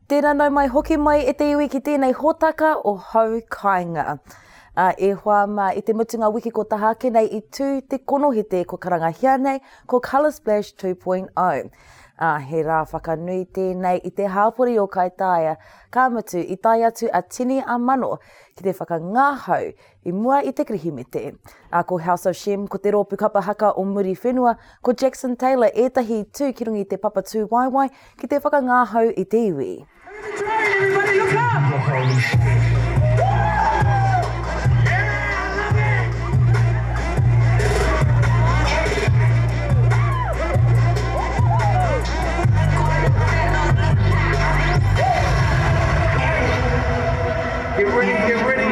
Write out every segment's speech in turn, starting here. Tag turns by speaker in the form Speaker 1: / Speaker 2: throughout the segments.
Speaker 1: Tēnā nau mai hoki mai e te iwi ki tēnei hōtaka o Hau Kāinga. Ā, e hoa mā, i te mutunga wiki ko taha ake nei i tū te konohete ko karangahia nei ko Colour Splash 2.0. Ā, he rā whakanui tēnei i te hāpori o Kaitāia, ka mutu i tae atu a tini a mano ki te whakangahau I mua i te Kirihimete. Ā, ko House of Shem, ko te rōpū kapa haka o Muriwhenua, ko Jackson Taylor ētahi i tū ki runga i te papa tūwaewae ki te whakangāhau i te iwi.
Speaker 2: Get ready, get ready.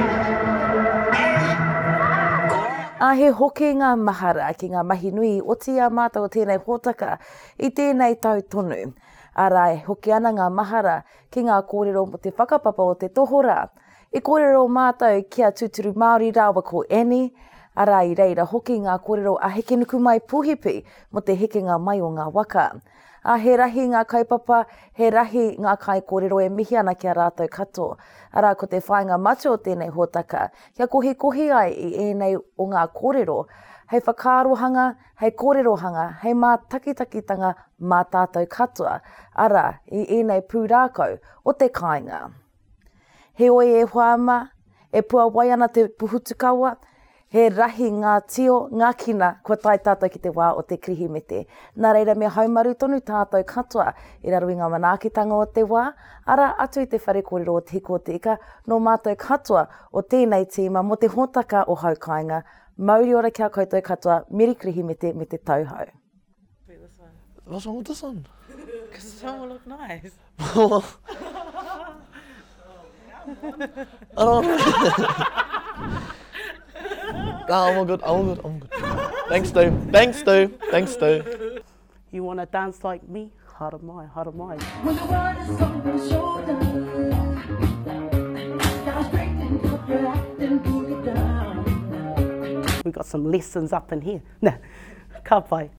Speaker 1: Ā, he hokinga mahara ki ngā mahi nui i oti i a mātou o tēnei hōtaka i tēnei tau tonu. Arā, e hoki ana ngā mahara ki ngā kōrero mō te whakapapa o te tohorā. I kōrero mātou ki a Tūturu Māori rāua ko Annie, arā, i reira hoki ngā kōrero a Hekenukumai Puhipi mō te hekenga mai o ngā waka. Ā, he rahi ngā kaupapa, he rahi ngā kaikōrero e mihi ana ki a rātou katoa. Arā, ko te whāinga matua o tēnei hōtaka, kia kohikohi ai i ēnei o ngā kōrero, hei whakaarohanga, hei kōrerohanga, hei mātakitakitanga mā tātou katoa, arā, i ēnei pūrākau o te kāinga. Heoi e hoa ma, e puawai ana te puhutukawa, he rahi ngā tio, ngā kina, kua tae tātou ki te wā o te Kirihimete. Nā reira me haumaru tonu tātou katoa i raro i ngā manaakitanga o te wā, arā atu i te whare kōrero o Te Hiko o Te Ika, nō mātou katoa o tēnei tīma mō te hōtaka o Hau Kāinga. Mauri ora ki a koutou katoa, Meri Kirihimete me te tauhou.
Speaker 3: Wait, this one.
Speaker 4: What's wrong with this one?
Speaker 3: Because this one will look nice.
Speaker 4: I don't know. nah, I'm all good. I'm all good. I'm good. Thanks, though. Thanks, though. Thanks, though.
Speaker 5: You want to dance like me? Haramai, haramai.
Speaker 6: When the world is on your shoulders, now straighten up your act and pull it down.
Speaker 5: We got some lessons up in here. Nah, ka pai.